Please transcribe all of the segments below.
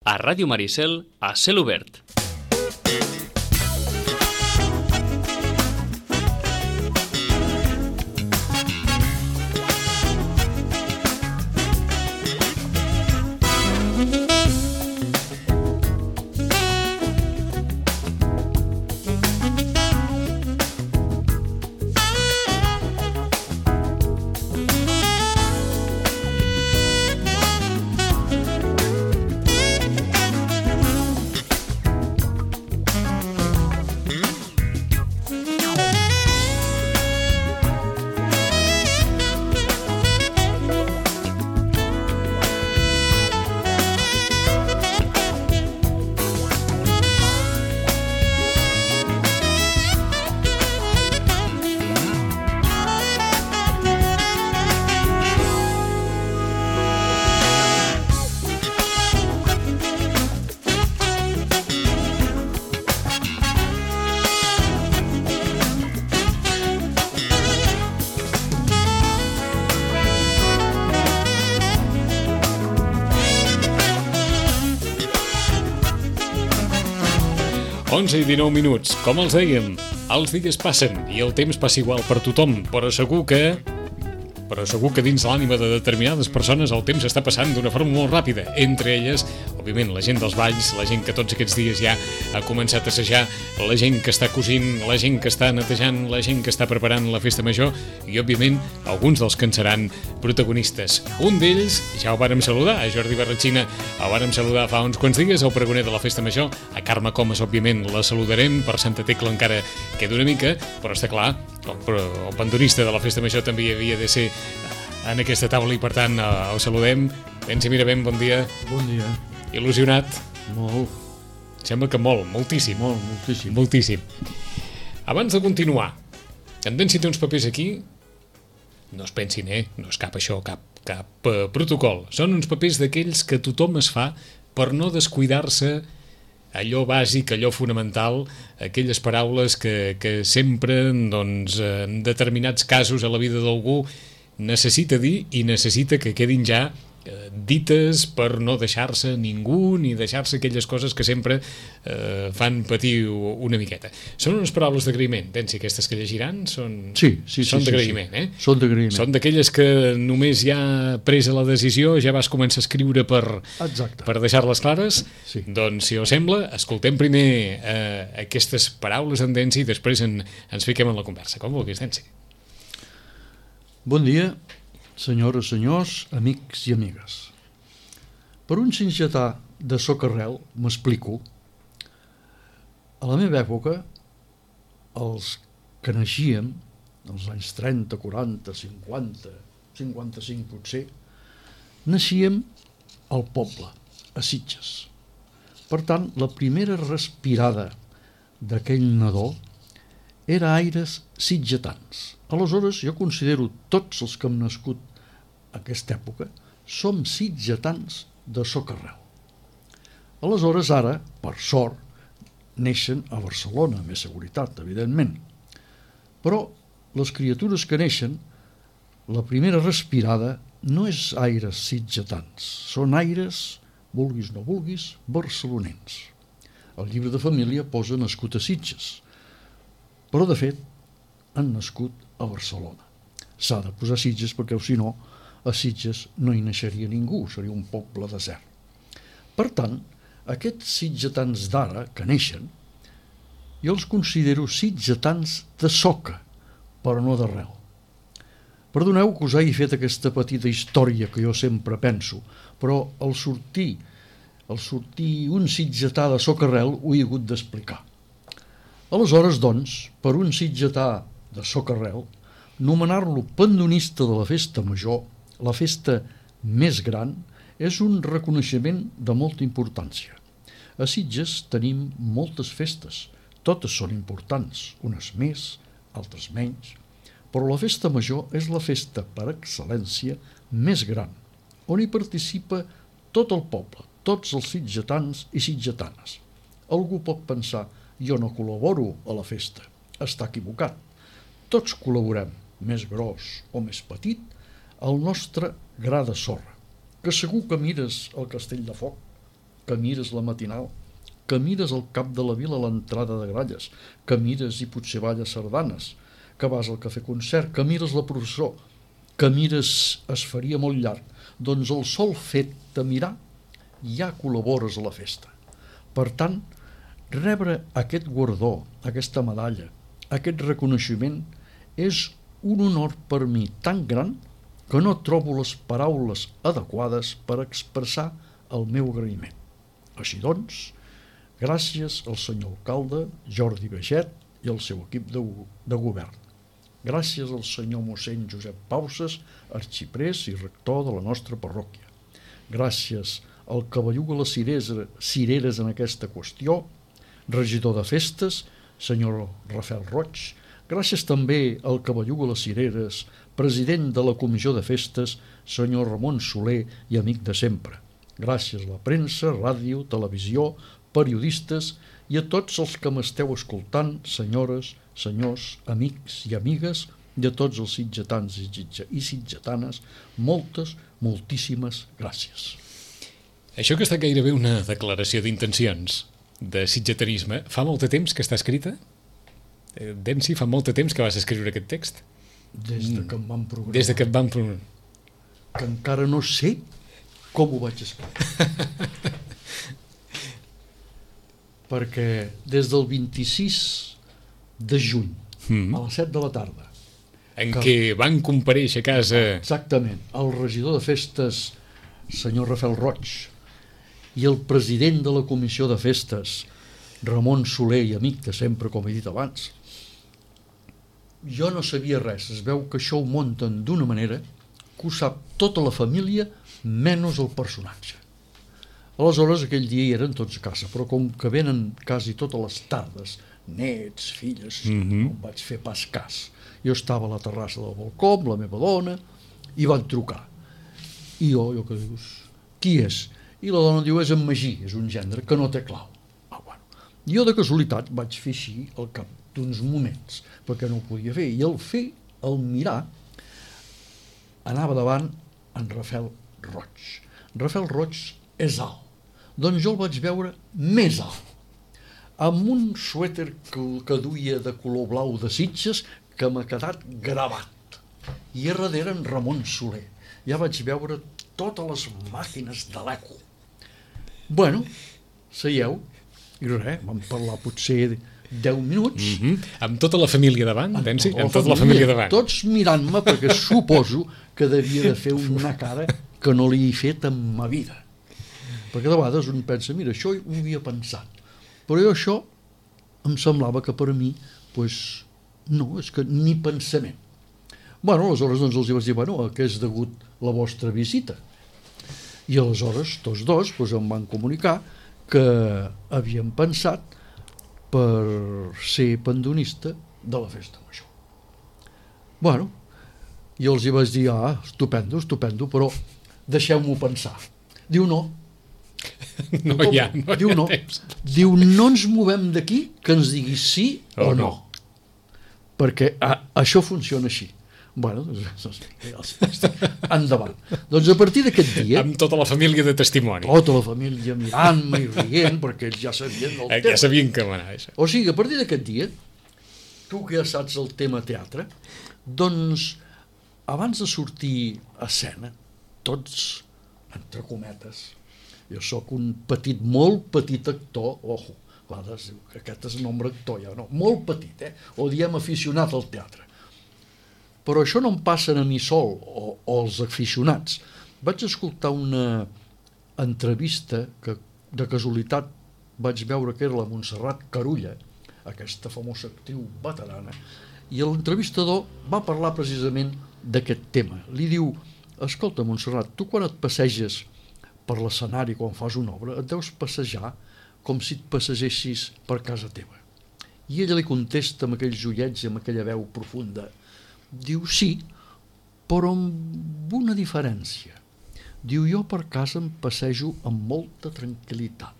A Ràdio Maricel, a cel obert. I 19 minuts. Com els dèiem, els dies passen i el temps passa igual per tothom, però segur que dins l'ànima de determinades persones el temps està passant d'una forma molt ràpida. Entre elles, òbviament, la gent dels balls, la gent que tots aquests dies ja ha començat a assajar, la gent que està cosint, la gent que està netejant, la gent que està preparant la festa major i, òbviament, alguns dels que en seran protagonistes. Un d'ells, ja ho vàrem saludar, a Jordi Barratxina, el vàrem saludar fa uns quants dies, el pregoner de la festa major, a Carme Comas, òbviament, la saludarem, per Santa Tecla encara queda una mica, però està clar, el pandonista de la festa major també hi havia de ser en aquesta taula i per tant el saludem. Pensi Miravent, bon dia. Bon dia. Il·lusionat? Molt. Sembla que moltíssim. Moltíssim. Moltíssim. Abans de continuar, en Densi té uns papers aquí, no es pensin, no és cap això, cap protocol. Són uns papers d'aquells que tothom es fa per no descuidar-se allò bàsic, allò fonamental, aquelles paraules que sempre, doncs, en determinats casos a la vida d'algú necessita dir i necessita que quedin ja dites per no deixar-se ningú ni deixar-se aquelles coses que sempre fan patir una miqueta. Són unes paraules d'agraïment, pensi, aquestes que llegiran són d'agraïment, sí. Són d'agraïment. Són d'aquelles que només ja presa la decisió ja vas començar a escriure per deixar-les clares. Sí. Doncs, si us sembla, escoltem primer aquestes paraules en Densi i després ens fiquem en la conversa. Com vulguis, Densi. Bon dia, senyores, senyors, amics i amigues. Per un sitgetà de socarrel, m'explico, a la meva època, els que naixíem, als anys 30, 40, 50, 55 potser, naixíem al poble, a Sitges. Per tant, la primera respirada d'aquell nadó era aires sitgetans. Aleshores, jo considero tots els que hem nascut a aquesta època som sitgetans de socarrel. Aleshores, ara, per sort, neixen a Barcelona, amb més seguretat, evidentment. Però les criatures que neixen, la primera respirada no és aires sitgetans, són aires, vulguis no vulguis, barcelonins. El llibre de família posa nascut a Sitges, però de fet han nascut a Barcelona. S'ha de posar Sitges perquè, si no, a Sitges no hi naixeria ningú, seria un poble desert. Per tant, aquests sitgetans d'ara que neixen, jo els considero sitgetans de soca, però no d'arrel. Perdoneu que us hagi fet aquesta petita història que jo sempre penso, però al sortir un sitgetà de socarrel ho he hagut d'explicar. Aleshores, doncs, per un sitgetà de socarrel, nomenar-lo pandonista de la festa major, la festa més gran, és un reconeixement de molta importància. A Sitges tenim moltes festes, totes són importants, unes més, altres menys, però la festa major és la festa per excel·lència més gran, on hi participa tot el poble, tots els sitgetans i sitgetanes. Algú pot pensar, jo no col·laboro a la festa. Està equivocat. Tots col·laborem, més gros o més petit, al nostre gra de sorra, que segur que mires el Castell de Foc que mires la matinal, que mires al cap de la vila a l'entrada de Gralles, que mires i potser balles sardanes, que vas al cafè concert, que mires la processó, que mires es faria molt llarg, doncs el sol fet de mirar ja col·labores a la festa. Per tant, rebre aquest guardó, aquesta medalla, aquest reconeixement és un honor per mi tan gran que no trobo les paraules adequades per expressar el meu agraïment. Així doncs, gràcies al senyor alcalde Jordi Baget i al seu equip de govern. Gràcies al senyor mossèn Josep Pauses, arxiprés i rector de la nostra parròquia. Gràcies al que belluga les cireres en aquesta qüestió, regidor de festes, senyor Rafael Roig. Gràcies també al que belluga les cireres, president de la comissió de festes, senyor Ramon Soler i amic de sempre. Gràcies a la premsa, ràdio, televisió, periodistes i a tots els que m'esteu escoltant, senyores, senyors, amics i amigues, i a tots els sitgetans i sitgetanes, moltíssimes gràcies. Això que està gairebé una declaració d'intencions de sitgetanisme, fa molt de temps que està escrita? Densi, fa molt de temps que vas escriure aquest text? Des de que em van programar. Des de que et van programar. Que encara no sé com ho vaig escriure. Perquè des del 26 de juny a les 7 de la tarda en què van comparèixer a casa exactament el regidor de festes senyor Rafael Roig i el president de la comissió de festes Ramon Soler i amic de sempre, com he dit abans, jo no sabia res. Es veu que això ho munten d'una manera que ho sap tota la família menys el personatge. Aleshores aquell dia hi eren tots a casa, però com que venen quasi totes les tardes, nets, filles, no em vaig fer pas cas. Jo estava a la terrassa del balcó amb la meva dona i van trucar. I jo que dius, qui és? I la dona diu, és en Magí, és un gendre que no té clau. Jo de casualitat vaig fer així al cap d'uns moments, perquè no ho podia fer. I al mirar, anava davant en Rafael Roig. Rafael Roig és alt. Doncs jo el vaig veure més alt, amb un suèter que duia de color blau de Sitges que m'ha quedat gravat. I a darrere en Ramon Soler. Ja vaig veure totes les màquines de l'eco. Bueno, seieu, i res, vam parlar potser 10 minuts. Amb tota la família davant, Densi? Amb tota la família davant. Tots mirant-me, perquè suposo que devia de fer una cara que no li he fet en ma vida. Perquè de vegades un pensa, mira, això ho havia pensat, però jo això em semblava que per a mi, doncs, no, és que ni pensament. Bueno, aleshores doncs els vaig dir, bueno, a què és degut la vostra visita? I aleshores tots dos doncs, em van comunicar que havien pensat per ser pandonista de la festa major. Bueno, i els hi vaig dir, estupendo, però deixeu-m'ho pensar. Diu, no. No hi ha temps. Diu, no ens movem d'aquí que ens diguis sí o no. Perquè això funciona així. Bueno, endavant. Doncs a partir d'aquest dia... Amb tota la família de testimoni. Tota la família mirant-me i rient, perquè ells ja sabien del tema. Ja sabien que manava això. O sigui, a partir d'aquest dia, tu que ja saps el tema teatre, doncs, abans de sortir a escena, tots, entre cometes, jo sóc un molt petit actor, ojo, que aquest és nombre actor ja, no, molt petit, o diem aficionat al teatre. Però això no em passa a mi sol, o als aficionats. Vaig escoltar una entrevista que de casualitat vaig veure que era la Montserrat Carulla, aquesta famosa actriu veterana, i l'entrevistador va parlar precisament d'aquest tema. Li diu, escolta, Montserrat, tu quan et passeges per l'escenari, quan fas una obra, et deus passejar com si et passegessis per casa teva. I ella li contesta amb aquells ullets i amb aquella veu profunda. Diu, sí, però amb una diferència. Diu, jo per casa em passejo amb molta tranquil·litat.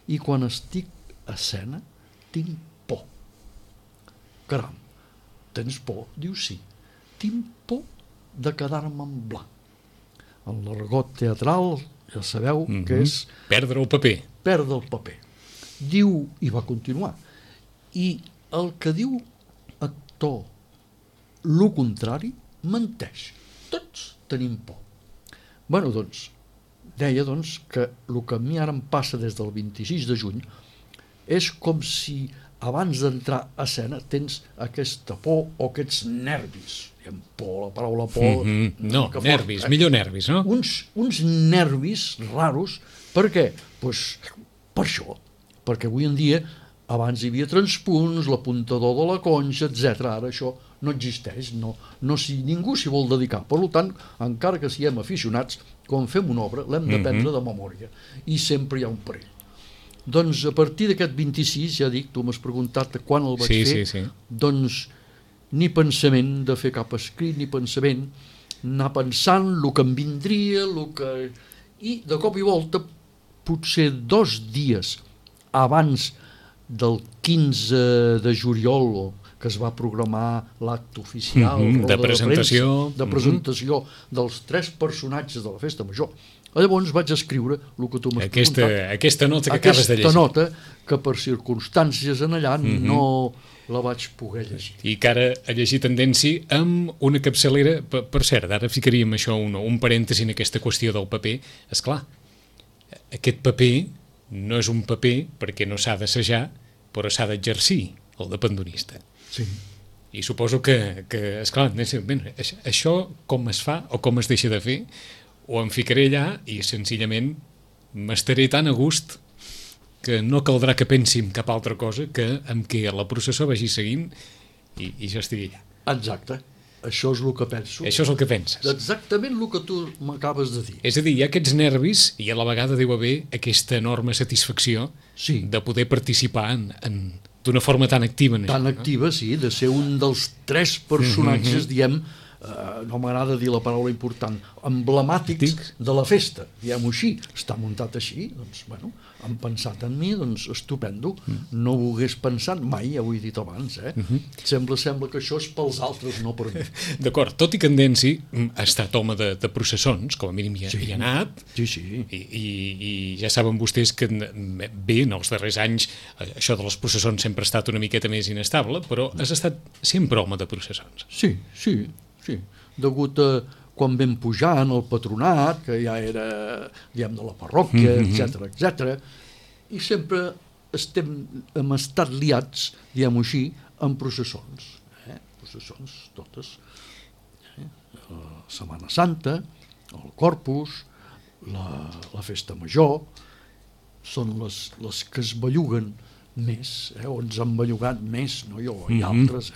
I quan estic a escena, tinc por. Caram, tens por? Diu, sí. Tinc por de quedar-me en blanc. En l'argot teatral, ja sabeu que és perdre el paper. perdre el paper. Diu, i va continuar, i el que diu actor lo contrari menteix. Tots tenim por. Bueno, doncs, deia que el que a mi ara em passa des del 26 de juny és com si abans d'entrar a escena tens aquesta por o aquests nervis. Diem por, la paraula por... No, nervis, millor nervis, no? Uns nervis raros. Per què? Pues, per això. Perquè avui en dia, abans hi havia transpunts, l'apuntador de la conxa, etc. Ara això no existeix, ningú s'hi vol dedicar. Per tant, encara que siguem aficionats, quan fem una obra l'hem d'aprendre de memòria i sempre hi ha un perill. Doncs a partir d'aquest 26, ja dic, tu m'has preguntat quan el vaig fer, sí. Doncs ni pensament de fer cap escrit, ni pensament, anar pensant el que em vindria, i de cop i volta, potser 2 dies abans del 15 de juliol, que es va programar l'acte oficial de presentació dels 3 personatges de la Festa Major. Llavors vaig escriure el que tu m'has preguntat. Aquesta nota que acabes de llegir. Aquesta nota que per circumstàncies en allà no la vaig poder llegir. I que ara ha llegit Tendenci amb una capçalera. Per cert, ara ficaríem això un parèntesi en aquesta qüestió del paper. Esclar, aquest paper no és un paper perquè no s'ha d'assajar, però s'ha d'exercir, el de pandonista. Sí. I suposo que esclar, això com es fa o com es deixa de fer, o em ficaré allà i senzillament m'estaré tan a gust que no caldrà que pensi en cap altra cosa que amb què la processó vagi seguint i jo estigui allà. Exacte. Això és el que penso. Això és el que penses. Exactament el que tu m'acabes de dir. És a dir, hi ha aquests nervis i a la vegada deu haver aquesta enorme satisfacció de poder participar d'una forma tan activa en això. Tan activa, sí, de ser un dels 3 personatges, diem, no m'agrada dir la paraula important, emblemàtics de la festa, diguem-ho així. Està muntat així, doncs, bueno, han pensat en mi, doncs, estupendo. No ho hagués pensat mai, ja ho he dit abans, Sembla que això és pels altres, no per mi. D'acord, tot i que en Densi ha estat home de processons, com a mínim hi ha anat, i ja saben vostès que bé, en els darrers anys, això de les processons sempre ha estat una miqueta més inestable, però has estat sempre home de processons. Sí. Degut a quan vam pujar en el patronat, que ja era, diguem, de la parròquia, etc. I sempre hem estat liats, diguem-ho així, en processons. Processons totes. La Setmana Santa, el Corpus, la Festa Major, són les que es belluguen més, o ens han bellugat més, no jo, i altres,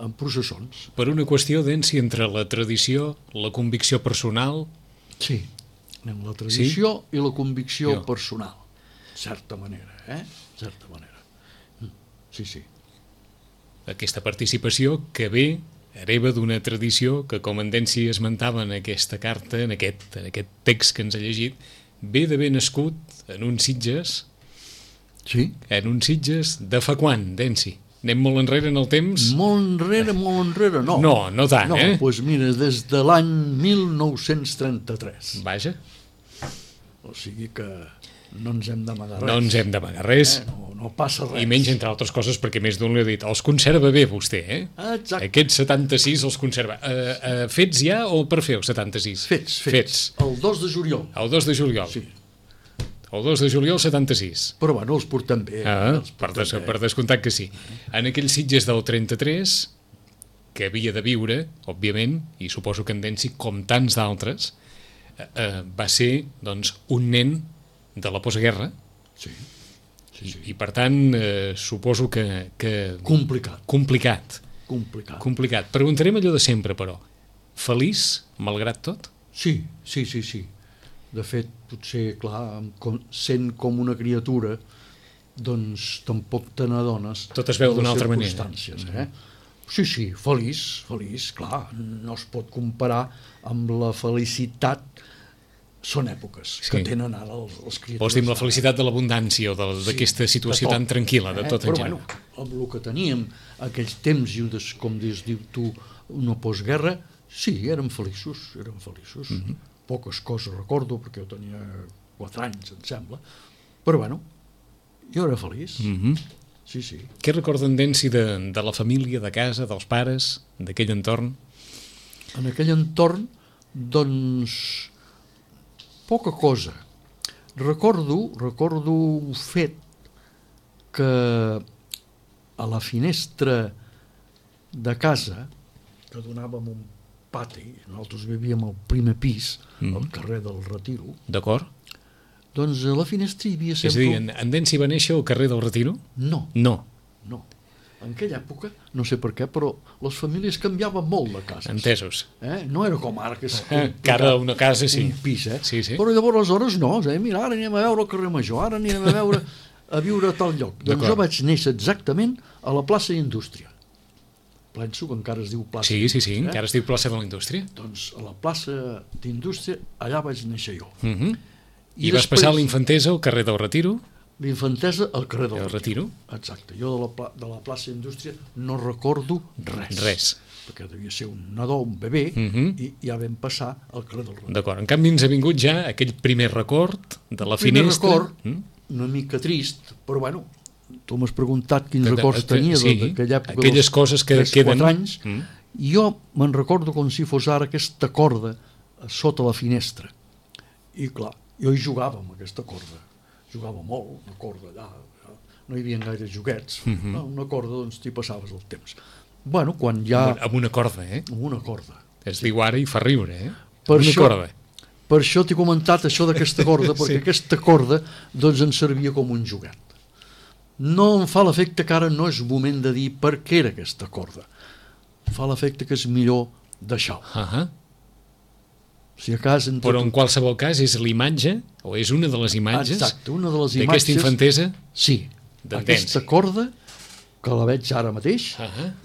en processons. Per una qüestió, Densi, entre la tradició, la convicció personal... Sí, la tradició i la convicció personal, certa manera, certa manera. Sí. Aquesta participació que ve hereva d'una tradició que, com en Densi esmentava en aquesta carta, en aquest text que ens ha llegit, ve d'haver nascut en uns Sitges... Sí. En uns Sitges de fa quan, Densi? Anem molt enrere en el temps? Molt enrere, no. No tant, Doncs mira, des de l'any 1933. Vaja. O sigui que no ens hem d'amagar res. No ens hem d'amagar res. No passa res. I menys, entre altres coses, perquè més d'un li ha dit, els conserva bé vostè, Exacte. Aquests 76 els conserva. Fets ja o per fer els 76? Fets. El 2 de juliol. El 2 de juliol. Sí. El 2 de juliol 76. Però bueno, els portem bé. Per descomptat que sí. En aquells Sitges del 33, que havia de viure, òbviament, i suposo que en Densi, com tants d'altres, va ser, doncs, un nen de la postguerra. Sí. I per tant, suposo que... Complicat. Preguntarem allò de sempre, però. Feliç, malgrat tot? Sí. De fet, potser, clar, sent com una criatura, doncs tampoc te n'adones. Tot es veu d'una altra manera. Sí, feliç, clar, no es pot comparar amb la felicitat. Són èpoques que tenen ara els criatures. Vols dir amb la felicitat de l'abundància o d'aquesta situació tan tranquil·la, de tot en general. Però bueno, amb el que teníem aquells temps, com dius tu, una postguerra, sí, érem feliços. poques coses recordo, perquè jo tenia 4 anys, em sembla, però bueno, jo era feliç. Sí, sí. Què recorda en Densi de la família, de casa, dels pares, d'aquell entorn? En aquell entorn, doncs, poca cosa. Recordo un fet que a la finestra de casa, que donàvem un pati, nosaltres vivíem al primer pis, al carrer del Retiro. D'acord. Doncs a la finestra hi havia És a sempre... dir, en Densi va néixer al carrer del Retiro? No. No. En aquella època, no sé per què, però les famílies canviaven molt de cases. Entesos. No era com ara, que és Que ara una casa, sí. un pis, Sí, sí. Però llavors aleshores no, mira, ara anirem a veure el carrer Major, ara anirem a veure a viure a tal lloc. Doncs jo vaig néixer exactament a la plaça Indústria. Penso que encara es diu plaça Sí, Indústria. encara es diu plaça de la Indústria. Doncs a la plaça d'Indústria, allà vaig néixer jo. I vas passar l'infantesa al carrer del Retiro? L'infantesa al carrer del Retiro. Exacte. Jo de la plaça Indústria no recordo res. Perquè devia ser un nadó, un bebè, i ja vam passar al carrer del Retiro. D'acord. En canvi ens ha vingut ja aquell primer record de la finestra. Primer record, una mica trist, però bueno, tu m'has preguntat quins records tenia d'aquella època, aquelles coses que queden. 4 anys, i jo me'n recordo com si fos ara aquesta corda sota la finestra. I clar, jo hi jugava amb aquesta corda. Jugava molt, una corda allà, no hi havia gaire joguets, una corda, doncs t'hi passaves el temps. Bueno, quan ja... Amb una corda, Amb una corda. Es diu ara i fa riure, Per una corda. Per això t'he comentat això d'aquesta corda, perquè aquesta corda doncs ens servia com un joguet. No em fa l'efecte que ara no és moment de dir per què era aquesta corda. Fa l'efecte que és millor deixar-ho. Si a cas però en qualsevol cas és l'imatge, o és una de les imatges, exacte, una de les imatges d'aquesta infantesa? Sí, aquesta corda que la veig ara mateix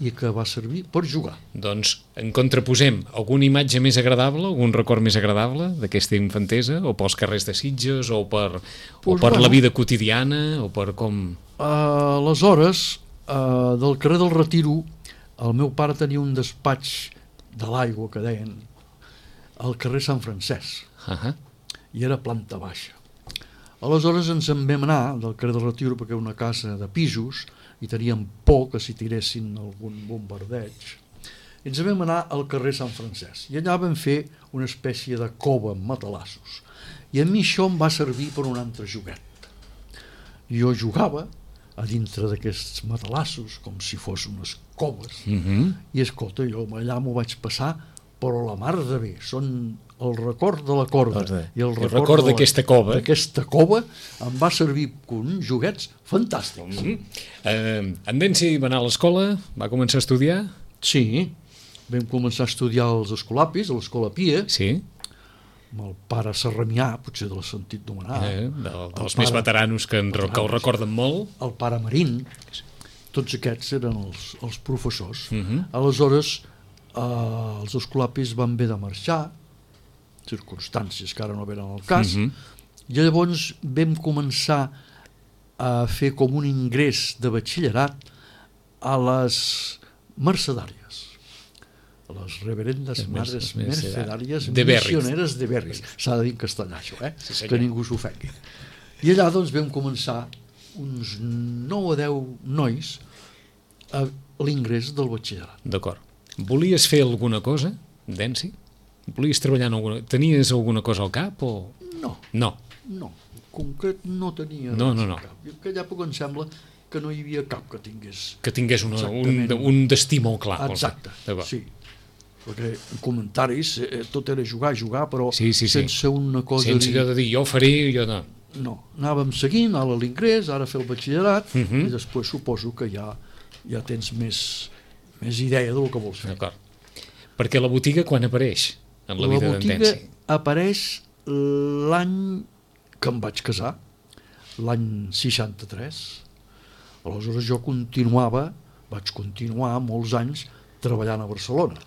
i que va servir per jugar. Doncs en contraposem alguna imatge més agradable, algun record més agradable d'aquesta infantesa, o pels carrers de Sitges, o per la vida quotidiana, o per com... Aleshores, del carrer del Retiro, el meu pare tenia un despatx de l'aigua, que deien, al carrer Sant Francesc, i era planta baixa. Aleshores ens en vam anar del carrer del Retiro, perquè era una casa de pisos i teníem por que s'hi tiressin algun bombardeig. I ens vam anar al carrer Sant Francesc i allà vam fer una espècie de cova amb matalassos, i a mi això em va servir per un altre joguet. Jo jugava a dintre d'aquests matalassos com si fos unes coves, i escolta, jo allà m'ho vaig passar, però la mar de bé, són el record de la corda i el record d'aquesta cova. D'aquesta cova em va servir com uns joguets fantàstics. En Densi va anar a l'escola, va començar a estudiar? Sí, vam començar a estudiar als Escolapis, a l'Escola Pia, amb el pare Serramià, potser de l'has sentit nomenar. Dels més veteranos que el recorden molt. El pare Marín, tots aquests eren els professors. Aleshores, els Escolapis van haver de marxar, circumstàncies que ara no venen al cas, i llavors vam començar a fer com un ingrés de batxillerat a les mercedàries, a les reverendes mares mercedàries missioneres de Berris. S'ha de dir en castellà això, que ningú s'ofengui. I allà doncs vam començar uns 9 o 10 nois a l'ingrés del batxillerat. D'acord. Volies fer alguna cosa, Densi? Volies treballar en alguna... Tenies alguna cosa al cap o...? No. En concret no tenia res al cap. En aquella època em sembla que no hi havia cap que tingués... Que tingués un destí molt clar. Exacte, sí. Perquè en comentaris tot era jugar, però sense una cosa... Sense allò de dir, jo ho faré, jo no. No, anàvem seguint, ara l'ingrés, ara fer el batxillerat, i després suposo que ja tens més idea del que vols fer. D'acord. Perquè la botiga quan apareix en la vida d'en Densi? La botiga apareix l'any que em vaig casar, l'any 63. Aleshores jo vaig continuar molts anys treballant a Barcelona.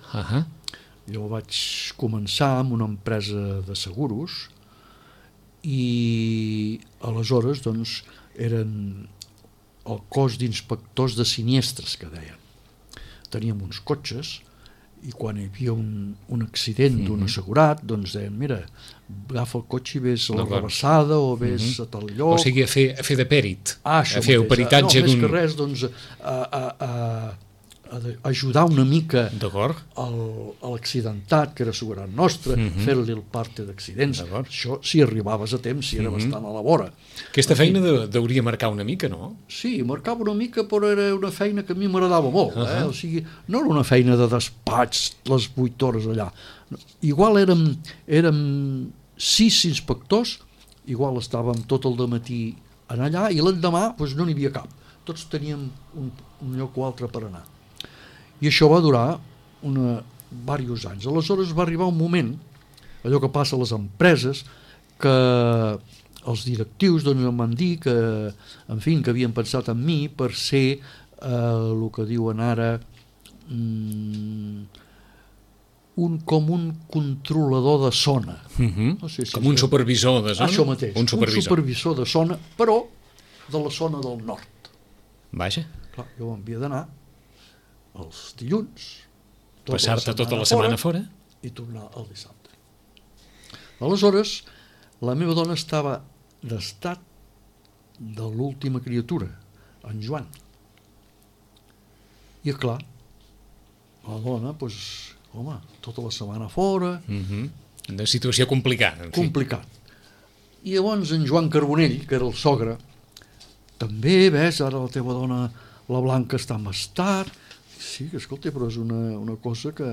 Jo vaig començar amb una empresa de seguros i aleshores doncs eren el cos d'inspectors de sinistres, que deien. Teníem uns cotxes i quan hi havia un accident d'un assegurat, doncs deien, mira, agafa el cotxe i ves a la rebassada o ves a tal lloc. O sigui, a fer de pèrit, a fer el peritatge d'un... No, més que res, doncs, a ajudar una mica a l'accidentat, que era assegurat nostre, fer-li el parte d'accidents. Això, si arribaves a temps, si era bastant a la vora. Aquesta feina hauria marcar una mica, no? Sí, marcava una mica, però era una feina que a mi m'agradava molt. O sigui, no era una feina de despatx les 8 hores allà. Igual érem 6 inspectors, igual estàvem tot el dematí allà, i l'endemà doncs, no n'hi havia cap. Tots teníem un lloc o altre per anar. I això va durar diversos anys. Aleshores va arribar un moment, allò que passa a les empreses, que els directius doncs, em van dir que, en fi, que havien pensat en mi per ser el que diuen ara com un controlador de zona. No sé si com un supervisor de zona? Això mateix, un supervisor de zona, però de la zona del nord. Vaja. Clar, jo m'havia d'anar els dilluns, passar-te tota la setmana fora i tornar el dissabte. Aleshores, la meva dona estava d'estat de l'última criatura, en Joan. I clar, la dona, doncs, home, tota la setmana fora... Una situació complicada. Complicat. I llavors en Joan Carbonell, que era el sogre, també, ves, ara la teva dona, la Blanca, està en estat... Sí, escolta, però és una cosa que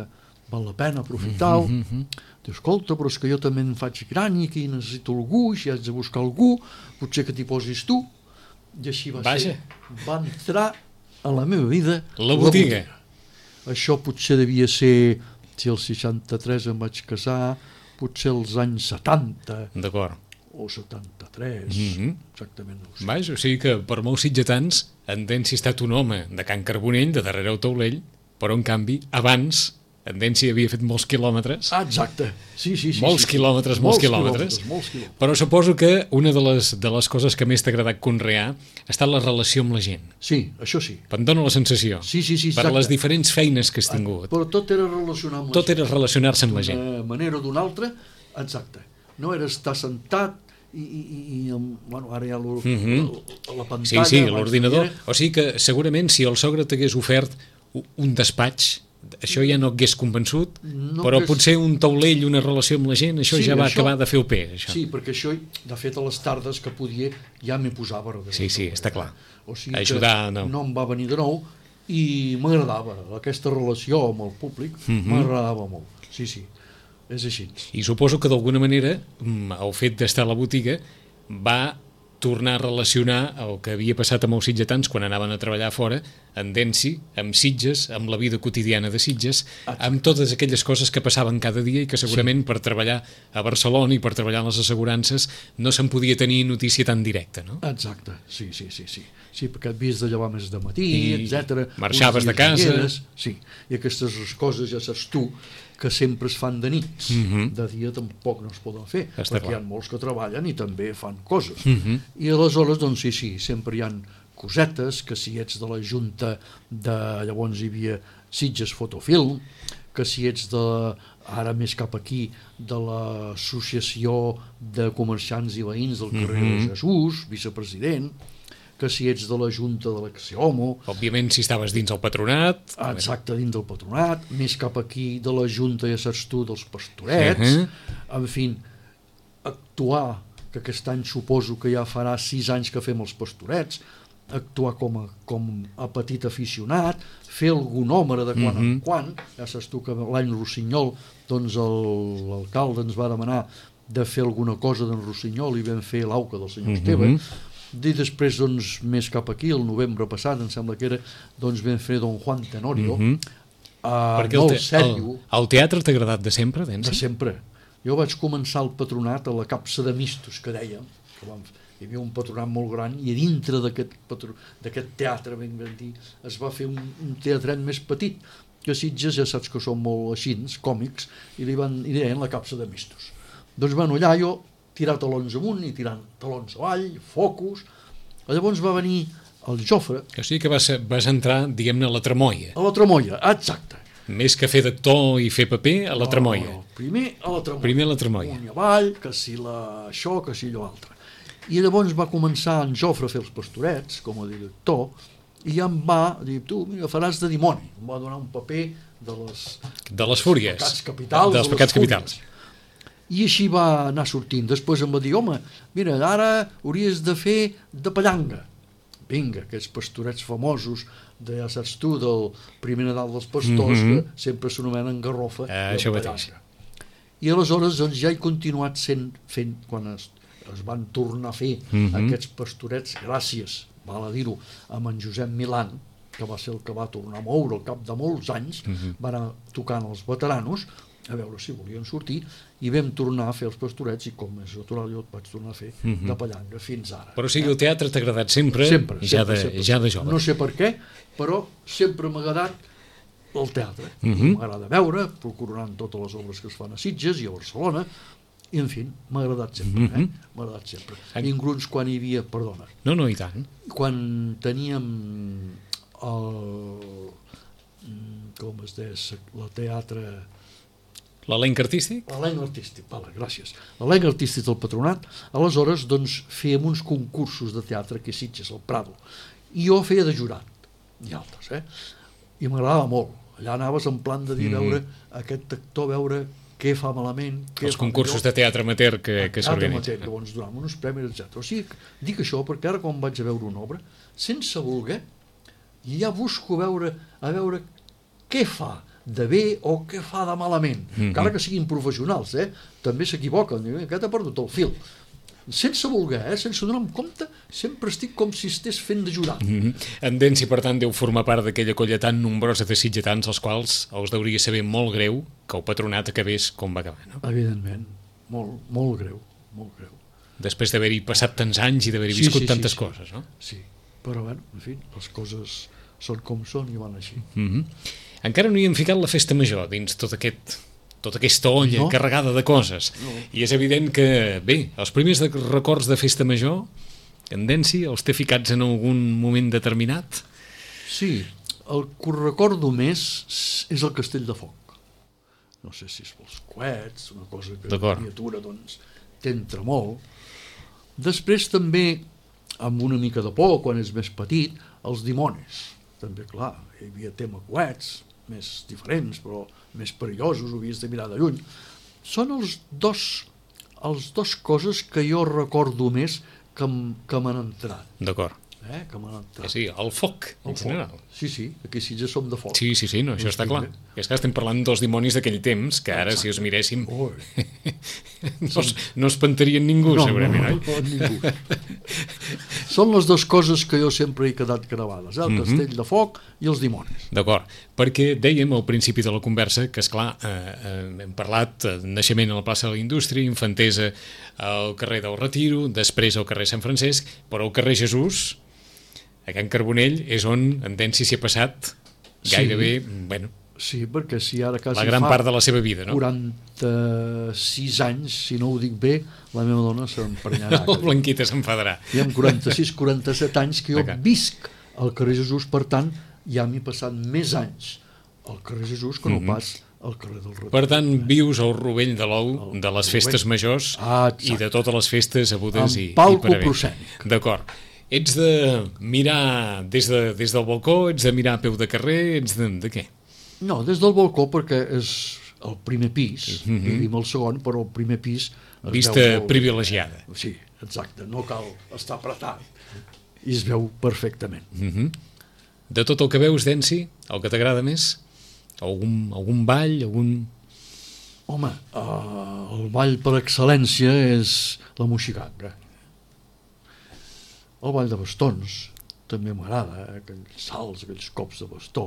val la pena aprofitar-ho. Diu, escolta, però és que jo també em faig gran i aquí necessito algú, si haig de buscar algú, potser que t'hi posis tu. I així va ser. Va entrar a la meva vida la botiga. Això potser devia ser, si el 63 em vaig casar, potser els anys 70. D'acord. O 73, exactament no ho sé. Vaja, o sigui que per molts sitgetans en Densi ha estat un home de Can Carbonell, de darrere el taulell, però en canvi abans en Densi havia fet molts quilòmetres. Exacte, sí. Molts quilòmetres. Però suposo que una de les coses que més t'ha agradat conrear ha estat la relació amb la gent. Sí, això sí. Em dóna la sensació. Sí, per les diferents feines que has tingut. Però tot era relacionar amb la gent. Tot era relacionar-se amb la gent. D'una manera o d'una altra, exacte. No era estar sentat i bueno, ara hi ha la pantalla... Sí, l'ordinador. O sigui que segurament si el sogre t'hagués ofert un despatx, això ja no hagués convençut, però potser un taulell, una relació amb la gent, això ja va acabar de fer el pes. Sí, perquè això, de fet, a les tardes que podia, ja m'hi posava. Sí, està clar. O sigui que no em va venir de nou i m'agradava. Aquesta relació amb el públic m'agradava molt. Sí, és així. I suposo que d'alguna manera el fet d'estar a la botiga va tornar a relacionar el que havia passat amb els sitgetans quan anaven a treballar fora, en Densi, amb Sitges, amb la vida quotidiana de Sitges, amb totes aquelles coses que passaven cada dia i que segurament per treballar a Barcelona i per treballar en les assegurances no se'n podia tenir notícia tan directa, no? Exacte, sí. Sí, perquè et havies de llevar més de matí, etc. Marxaves de casa. Sí, i aquestes coses ja saps tu que sempre es fan de nits. De dia tampoc no es poden fer, perquè hi ha molts que treballen i també fan coses. I aleshores, doncs sí, sempre hi ha cosetes, que si ets de la Junta de... Llavors hi havia Sitges Fotofilm, que si ets de... Ara més cap aquí, de l'Associació de Comerciants i Veïns del carrer de Jesús, vicepresident, que si ets de la Junta de l'Axiomo... Òbviament, si estaves dins el patronat... Exacte, dins del patronat, més cap aquí de la Junta, ja saps tu, dels pastorets, en fi, actuar, que aquest any suposo que ja farà 6 anys que fem els pastorets, actuar com a petit aficionat, fer algun número de quan en quan, ja saps tu que l'any Rossinyol, doncs l'alcalde ens va demanar de fer alguna cosa d'en Rossinyol i vam fer l'auca del senyor Esteve, i després, doncs, més cap aquí, el novembre passat, em sembla que era, doncs vam fer Don Juan Tenorio, perquè el teatre t'ha agradat de sempre, Densi? De sempre. Jo vaig començar el patronat a la Capsa de Mistos, que dèiem, que hi havia un patronat molt gran, i a dintre d'aquest teatre, ben dir, es va fer un teatret més petit, que Sitges ja saps que són molt així, còmics, i deien la Capsa de Mistos. Doncs, bueno, allà jo tirar talons amunt i tirant talons avall, focus. Llavors va venir el Jofre. O sigui que vas entrar, diguem-ne, a la tramoia. A la tramoia, exacte. Més que fer d'actor i fer paper, a la tramoia. No, primer a la tramoia. Primer a la tramoia. Un i avall, que si això, que si allò altre. I llavors va començar en Jofre a fer els pastorets, com a director, i ja em va dir, tu, mira, faràs de dimoni. Em va donar un paper de les fúries. Pecats capitals. Dels pecats capitals. I així va anar sortint. Després em va dir, home, mira, ara hauries de fer de pallanga. Vinga, aquests pastorets famosos, ja saps tu, del primer Nadal dels pastors, que sempre s'anomenen Garrofa. Això mateix. I aleshores doncs, ja he continuat fent, quan es van tornar a fer aquests pastorets, gràcies, val a dir-ho, amb en Josep Milan, que va ser el que va tornar a moure al cap de molts anys, va anar tocant els veteranos, a veure si volien sortir, i vam tornar a fer els pastorets, i com és natural jo et vaig tornar a fer de pallanga fins ara. Però o sigui, el teatre t'ha agradat sempre, sempre. Ja de jove. No sé per què, però sempre m'ha agradat el teatre. M'agrada veure, procurant totes les obres que es fan a Sitges i a Barcelona, i en fi, m'ha agradat sempre. M'ha agradat sempre. Inclús quan hi havia, perdona. No, i tant. Quan teníem com es deia, la teatre... L'elenc artístic? L'elenc artístic, vale, gràcies. L'elenc artístic del Patronat, aleshores doncs, fèiem uns concursos de teatre que Sitges, al Prado, i jo feia de jurat, i altres, i m'agradava molt. Allà anaves en plan de dir, veure aquest actor, veure què fa malament, què els fa concursos millor. de teatre amateur que s'organitzen. Que ens donaven uns premis, etc. O sigui, dic això perquè ara quan vaig a veure una obra, sense voler, ja busco a veure què fa de bé o què fa de malament, encara que siguin professionals, també s'equivoquen, aquest ha perdut el fil. Sense voler, sense donar-me compte, sempre estic com si estés fent de jurat. En Densi, per tant, deu formar part d'aquella colla tan nombrosa de sitgetans als quals els hauria saber molt greu que el Patronat acabés com va acabar, no? Evidentment, molt greu, molt greu. Després d'haver-hi passat tants anys i d'haver-hi viscut tantes coses, no? Sí, però bé, en fi, les coses són com són i van així. Encara no hi hem ficat la festa major dins tota aquesta olla carregada de coses. I és evident que, bé, els primers records de festa major, en Densi, els té ficats en algun moment determinat? Sí, el que recordo més és el Castell de Foc. No sé si és pels coets, una cosa que la criatura doncs t'entra molt. Després també, amb una mica de por, quan és més petit, els dimonis. També, clar, hi havia tema coets, més diferents, però més perillosos, ho havies de mirar de lluny. Són els dos coses que jo recordo més que m'han entrat. D'acord. Que m'han entrat. Sí, el foc, en general. Sí, aquí sí ja som de foc. Sí, no, això està clar. És que estem parlant dels dimonis d'aquell temps, que ara, si els miréssim, no espantarien ningú, segurament, oi? No, ningú. Són les dues coses que jo sempre he quedat gravades, el Castell de Foc i els dimonis. D'acord, perquè dèiem al principi de la conversa que, esclar, hem parlat de naixement a la plaça de la Indústria, infantesa al carrer del Retiro, després al carrer Sant Francesc, però al carrer Jesús, a Can Carbonell, és on en Densi s'hi ha passat gairebé, bueno... Sí, perquè si ara quasi la gran part de la seva vida, no? 46 anys, si no ho dic bé, la meva dona s'emprenyarà. La Blanquita s'enfadarà. I amb 46-47 anys que jo visc al carrer Jesús, per tant, ja m'he passat més anys al carrer Jesús que no pas al carrer del Retiro. Per tant, vius al rovell de l'ou de les festes majors i de totes les festes abudes i per haver. D'acord. Ets de mirar des del balcó, ets de mirar a peu de carrer, ets de què? No, des del balcó perquè és el primer pis, vivim el segon, però el primer pis... Vista privilegiada. Sí, exacte, no cal estar apretat i es veu perfectament. De tot el que veus, Densi, el que t'agrada més? Algun ball, Home, el ball per excel·lència és la moixiganga. El ball de bastons també m'agrada, aquells salts, aquells cops de bastó.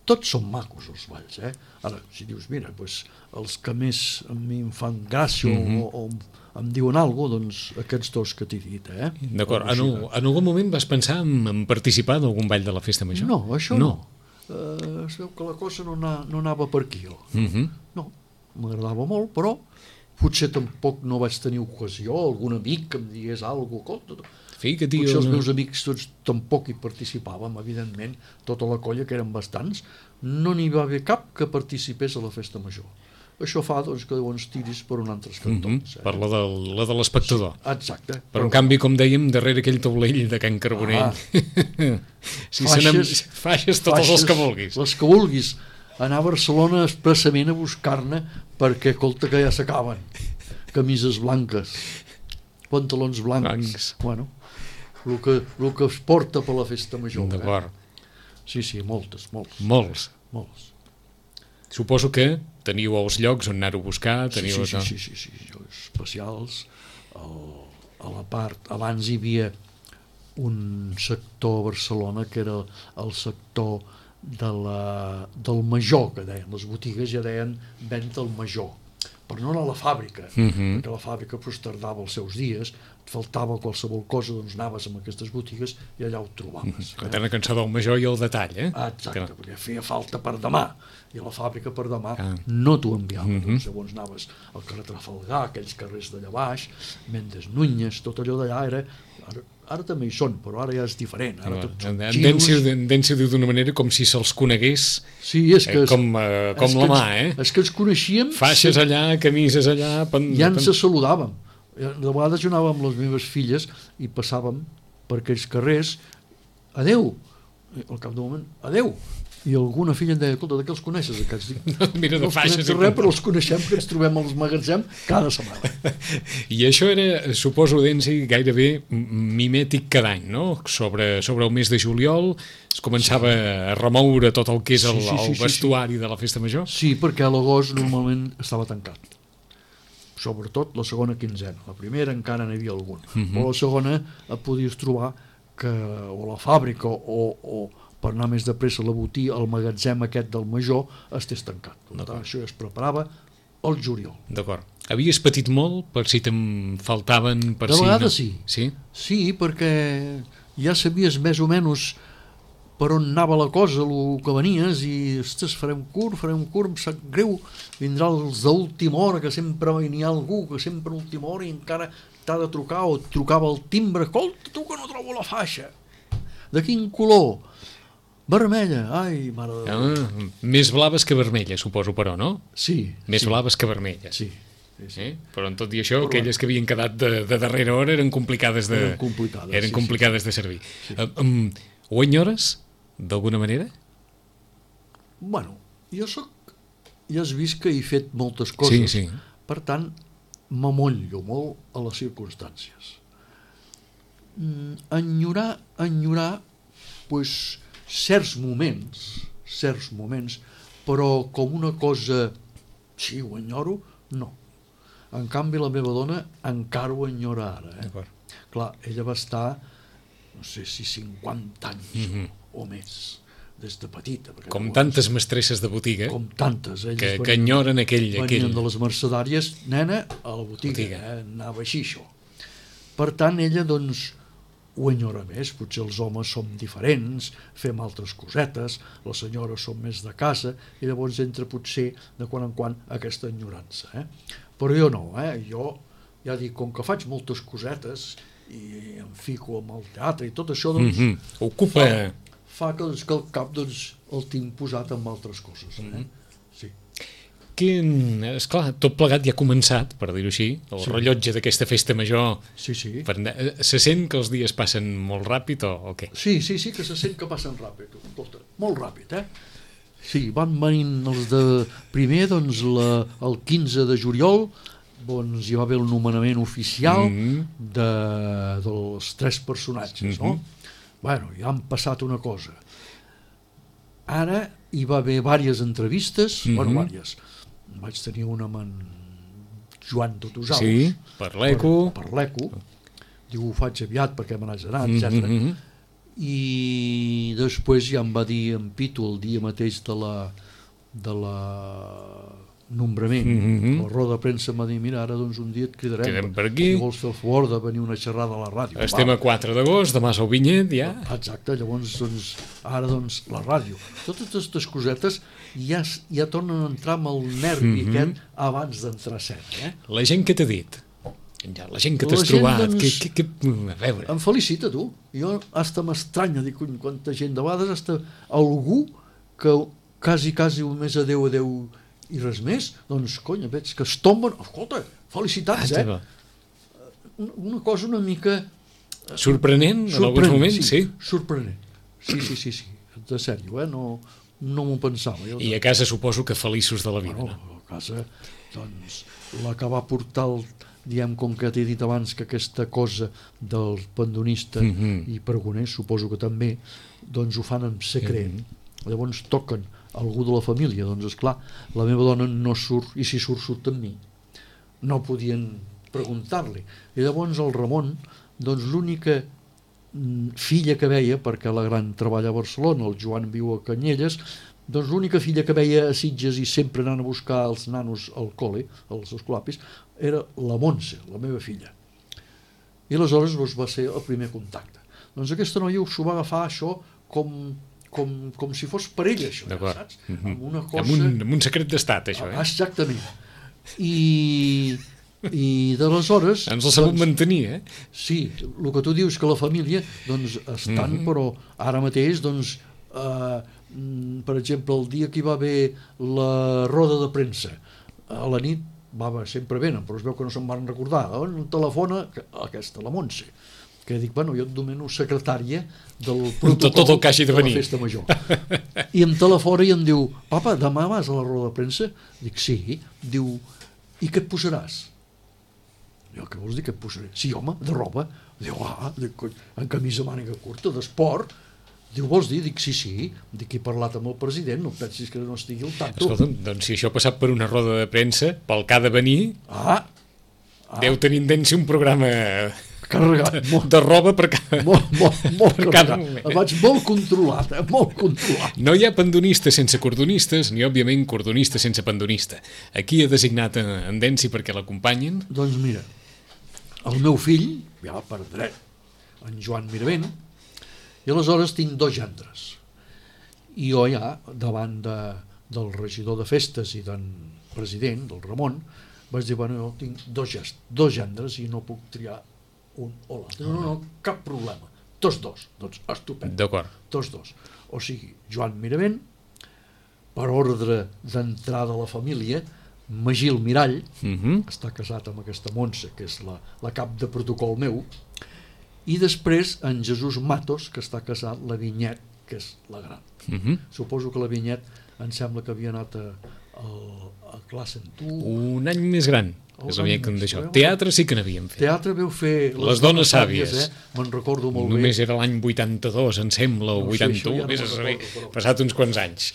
Tots són macos els balls, Ara, si dius, mira, els que més a mi em fan gràcia o em diuen alguna cosa, doncs aquests dos que t'he dit, D'acord. En algun moment vas pensar en participar d'algun ball de la festa major? No, això no. Es veu que la cosa no anava per aquí. No, m'agradava molt, però potser tampoc no vaig tenir ocasió, algun amic que em digués alguna cosa. Fica-t'hi Potser els una... meus amics tots tampoc hi participàvem, evidentment, tota la colla, que eren bastants, no n'hi va haver cap que participés a la festa major. Això fa doncs, que llavors tiris per un altre cantons. Per la de l'espectador. Exacte. Però en canvi, com dèiem, darrere aquell taulell de Can Carbonell, si faixes totes les que vulguis. Les que vulguis. Anar a Barcelona expressament a buscar-ne perquè, escolta, que ja s'acaben. Camises blanques, pantalons blancs. Bueno, el que es porta per la festa major. D'acord. Sí, moltes. Molts. Suposo que teniu els llocs on anar-ho a buscar. Sí, llocs especials. A la part, abans hi havia un sector a Barcelona que era el sector del major, que deien. Les botigues ja deien venda al major, però no a la fàbrica, perquè la fàbrica pues, tardava els seus dies, et faltava qualsevol cosa, doncs anaves a aquestes botigues i allà ho trobaves. La terna cançó del major i el detall, Exacte, perquè feia falta per demà, i a la fàbrica per demà no t'ho enviava. Doncs, llavors anaves al carrer Trafalgar, aquells carrers d'allà baix, Mendes Núñez, tot allò d'allà era... Ara també hi són, però ara ja és diferent. Ara tots són xinos. Densi ho diu d'una manera com si se'ls conegués com la mà, És que ens coneixíem... Faixes allà, camises allà... Ja ens saludàvem. De vegades jo anava amb les meves filles i passàvem per aquells carrers, adeu, al cap d'un moment, adeu. I alguna filla em deia, escolta, de què els coneixes aquests? Mira, de faixes. No res, però els coneixem, que ens trobem als magatzems cada setmana. I això era, suposo, Densi, gairebé mimètic cada any, no? Sobre el mes de juliol es començava a remoure tot el que és el vestuari de la festa major? Sí, perquè a l'agost normalment estava tancat. Sobretot la segona quinzena. La primera encara n'hi havia algun. Però la segona et podies trobar que o la fàbrica o per anar més de pressa a la botiga, el magatzem aquest del major estés tancat. Per tant, això es preparava al juliol. D'acord. Havies patit molt per si te'n faltaven... De vegades sí. Sí, perquè ja sabies més o menys per on anava la cosa, el que venies, i ostres, farem curt, em sap greu, vindrà els d'última hora, que sempre n'hi ha algú que sempre a última hora i encara t'ha de trucar, o et trucava el timbre, escolta, tu que no trobo la faixa, de quin color? Vermella, ai, mare de Déu. Més blaves que vermelles, suposo, però, no? Sí. Més blaves que vermelles. Sí. Però en tot i això, aquelles que havien quedat de darrera hora eren complicades de servir. Ho enyores, d'alguna manera? Bueno, jo ja has vist que he fet moltes coses. Sí. Per tant, m'amollo molt a les circumstàncies. Enyorar, pues, certs moments, però com una cosa, sí, ho enyoro, no. En canvi, la meva dona encara ho enyora ara. Clar, ella va estar, no sé si 50 anys o més, des de petita. Com tantes mestresses de botiga. Com tantes. Que enyoren aquell... Venien de les mercedàries, nena, a la botiga. Anava així, això. Per tant, ella, doncs, ho enyora més. Potser els homes som diferents, fem altres cosetes, les senyores són més de casa, i llavors entra potser de quan en quan aquesta enyorança. Però jo no, jo ja dic, com que faig moltes cosetes i em fico amb el teatre i tot això, doncs, ocupa... fa que el cap el tinc posat amb altres coses. Sí. Esclar, tot plegat ja ha començat, per dir-ho així, el rellotge d'aquesta festa major. Sí. Se sent que els dies passen molt ràpid o què? Sí, que se sent que passen ràpid. Escolta, molt ràpid, Sí, van venint els de primer, doncs el 15 de juliol, doncs hi va haver el nomenament oficial dels 3 personatges, no? Bueno, ja han passat una cosa. Ara hi va haver diverses entrevistes, diverses. Vaig tenir una amb en Joan Totosaus. Sí, per l'ECO. Per l'ECO. Diu, ho faig aviat perquè me n'haig d'anar, etc. I després ja em va dir en Pitu el dia mateix de la nombrament, la roda de premsa em va dir, mira, ara doncs un dia et cridarem per aquí. Si vols fer el favor de venir una xerrada a la ràdio. Estem a 4 d'agost, demà és el Vinyet, ja. Exacte, llavors doncs, ara doncs la ràdio. Totes aquestes cosetes ja tornen a entrar amb el nervi aquest abans d'entrar a set. La gent què t'ha dit? Ja, la gent que t'has La gent, trobat, doncs, a veure... em felicita, tu. Jo hasta m'estranya, dic, cony, quanta gent, de vegades hasta algú que quasi més adeu i res més, doncs, cony, veig que es tomben, escolta, felicitats, una cosa una mica... Sorprenent, en alguns moments, sí. Sorprenent, sí, de sèrio, no m'ho pensava. I a casa suposo que feliços de la vida, no? No? A casa, doncs, la que va portar diem, com que t'he dit abans que aquesta cosa del pandonista i pregoner, suposo que també, doncs ho fan en secret. Llavors toquen algú de la família, doncs esclar, la meva dona no surt, i si surt amb mi. No podien preguntar-li. I llavors el Ramon, doncs l'única filla que veia, perquè la gran treballa a Barcelona, el Joan viu a Canyelles, doncs l'única filla que veia a Sitges i sempre anant a buscar els nanos al col·le, als escolapis, era la Montse, la meva filla. I aleshores va ser el primer contacte. Doncs aquesta noia s'ho va agafar això com si fos per ella, això, saps? Amb una cosa... Amb un secret d'estat, això, Exactament. I d'aleshores... Ens l'ha sabut mantenir, Sí, el que tu dius que la família, doncs, estan, però ara mateix, doncs, per exemple, el dia que hi va haver la roda de premsa, a la nit sempre venen, però es veu que no se'n van recordar. On telefona aquesta, la Montse, que dic, bueno, jo et domino secretària del protocol tot el que hagi de venir. La festa major. I em telefona i em diu, papa, demà vas a la roda de premsa? Dic, sí. Diu, i què et posaràs? Jo, què vols dir que et posaré? Sí, home, de roba. Diu, en camisa màniga curta, d'esport. Diu, vols dir? Dic, sí. Dic, he parlat amb el president, no pensis que no estigui al tanto. Escolta'm, doncs si això ha passat per una roda de premsa, pel que ha de venir, deu tenir en un programa carregat, de roba per cada... Molt carregat. Vaig molt controlat, molt controlat. No hi ha pandonista sense cordonistes, ni, òbviament, cordonista sense pandonista. Aquí ha designat en Densi perquè l'acompanyin? Doncs mira, el meu fill, ja per dret, en Joan Miravent, i aleshores tinc 2 gendres. I jo ja, davant del regidor de festes i del president, del Ramon, vaig dir, bueno, jo tinc 2 gendres i no puc triar un o l'altre. No, cap problema. Tots 2. Doncs estupend. D'acord. Tots 2. O sigui, Joan Miravent, per ordre d'entrada a la família, Magil Mirall, que està casat amb aquesta Montse, que és la cap de protocol meu, i després en Jesús Matos, que està casat, la Vinyet, que és la gran. Suposo que la Vinyet em sembla que havia anat a classe en tu. Un any més gran, és la mica d'això. Teatre sí que n'havíem fet. Teatre veu fer Les dones sàvies. Me'n recordo molt bé. Només era l'any 82, em sembla, o 81, passat uns quants anys.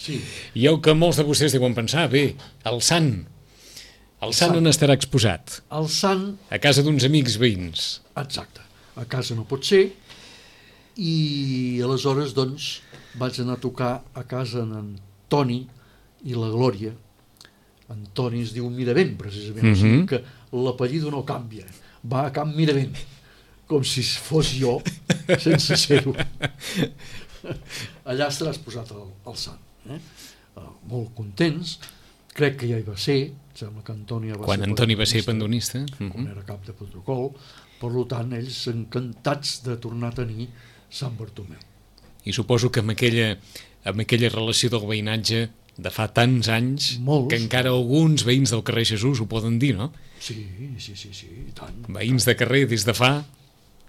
I el que molts de vostès deuen pensar, bé, el Sant. El Sant on estarà exposat? El Sant... A casa d'uns amics veïns. Exacte. A casa no pot ser, i aleshores doncs vaig anar a tocar a casa en Toni i la Glòria. En Toni es diu Miravent, precisament, o sigui que l'apellido no canvia, va a Camp Miravent, com si fos jo, sense ser-ho. Allà estarà exposat el Sant. Molt contents, crec que ja hi va ser, sembla que Antònia va quan Antoni va ser pandonista, quan era cap de protocol. Per tant, ells encantats de tornar a tenir Sant Bartomeu. I suposo que amb aquella relació del veïnatge de fa tants anys, que encara alguns veïns del carrer Jesús ho poden dir, no? Sí, i tant. Veïns de carrer des de fa...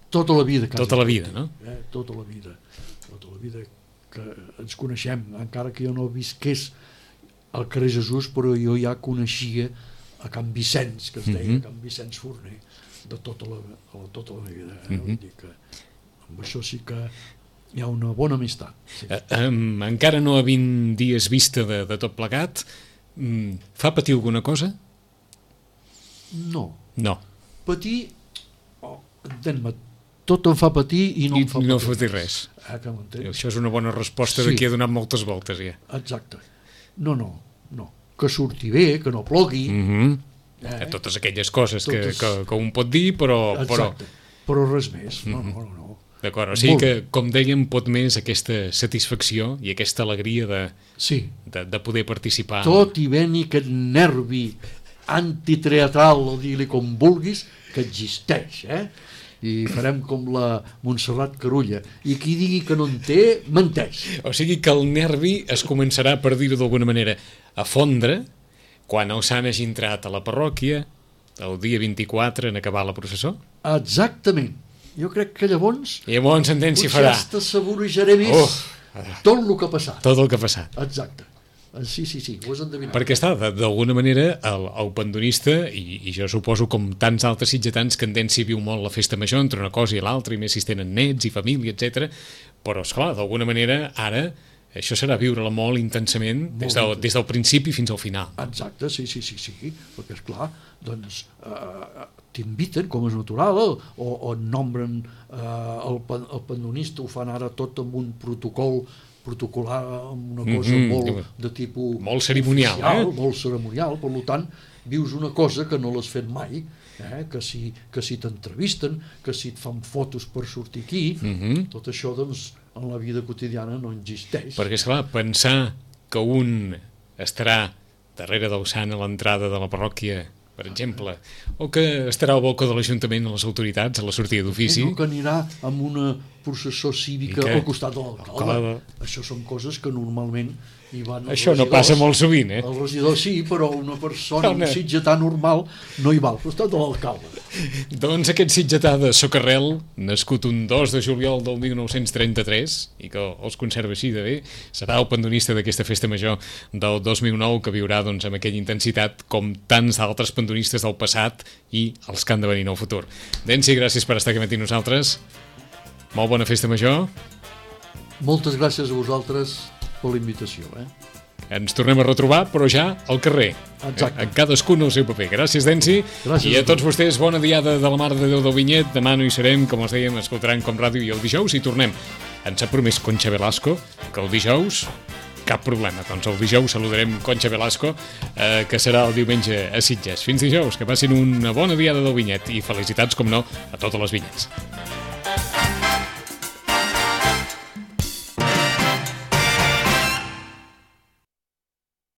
Tota la vida. Tota la vida, no? Tota la vida que ens coneixem, encara que jo no visqués al carrer Jesús, però jo ja coneixia a Can Vicenç, que es deia Can Vicenç Forner, de tota la meva vida. Vull dir que amb això sí que hi ha una bona amistat. Encara no a 20 dies vista de tot plegat, fa patir alguna cosa? No. Patir, entén-me, tot em fa patir i no em fa patir. No fa patir res. Això és una bona resposta de qui ha donat moltes voltes ja. Exacte. No. Que surti bé, que no plogui. Totes aquelles coses que un pot dir, però... Exacte, però res més. No. D'acord, o sigui que, com dèiem, pot més aquesta satisfacció i aquesta alegria de poder participar. Tot i venir aquest nervi antiteatral, o digui-li com vulguis, que existeix, i farem com la Montserrat Carulla, i qui digui que no en té, menteix. O sigui que el nervi es començarà, per dir-ho d'alguna manera, a fondre quan el sant hagi entrat a la parròquia el dia 24 en acabar la processó? Exactament. Jo crec que llavors Entén si farà. potser t'assaborejaré més tot el que ha passat. Tot el que ha passat. Exacte. Sí, ho has endevinat. Perquè està, d'alguna manera, el pandonista, i jo suposo com tants altres sitgetans, que en Densi viu molt la festa major entre una cosa i l'altra, i més si tenen nets i família, etc. Però, esclar, d'alguna manera, ara, això serà viure-la molt intensament des del principi fins al final. Exacte, sí, perquè, esclar, doncs t'inviten, com és natural, o nombren el pandonista, ho fan ara tot amb un protocolar, amb una cosa molt de tipus molt cerimonial, oficial, molt cerimonial, per tant vius una cosa que no l'has fet mai, que si t'entrevisten, que si et fan fotos per sortir aquí, tot això doncs en la vida quotidiana no existeix. Perquè, esclar, pensar que un estarà darrere del sant a l'entrada de la parròquia, per exemple, o que estarà al balcó de l'Ajuntament a les autoritats a la sortida d'ofici, o que anirà amb una processó cívica al costat de l'alcalde. Això són coses que normalment hi van els això regidors. No passa molt sovint, El regidor sí, però una persona, un sitgetà normal, no hi va al costat de l'alcalde. Doncs aquest sitgetà de Socarrel, nascut un 2 de juliol del 1933, i que els conserva així de bé, serà el pandonista d'aquesta festa major del 2009, que viurà doncs, amb aquella intensitat com tants altres pandonistes del passat i els que han de venir en el futur. Densi, gràcies per estar aquí amb nosaltres. Molt bona festa major. Moltes gràcies a vosaltres per la invitació. Ens tornem a retrobar, però ja al carrer. Exacte. En cadascun el seu paper. Gràcies, Densi. Gràcies. I a tots vostès, bona diada de la Mare de Déu del Vinyet. Demà no hi serem, com els dèiem, escoltaran com ràdio, i el dijous hi tornem. Ens ha promès Concha Velasco que el dijous cap problema. Doncs el dijous saludarem Concha Velasco, que serà el diumenge a Sitges. Fins dijous, que passin una bona diada del Vinyet i felicitats, com no, a totes les vinyets.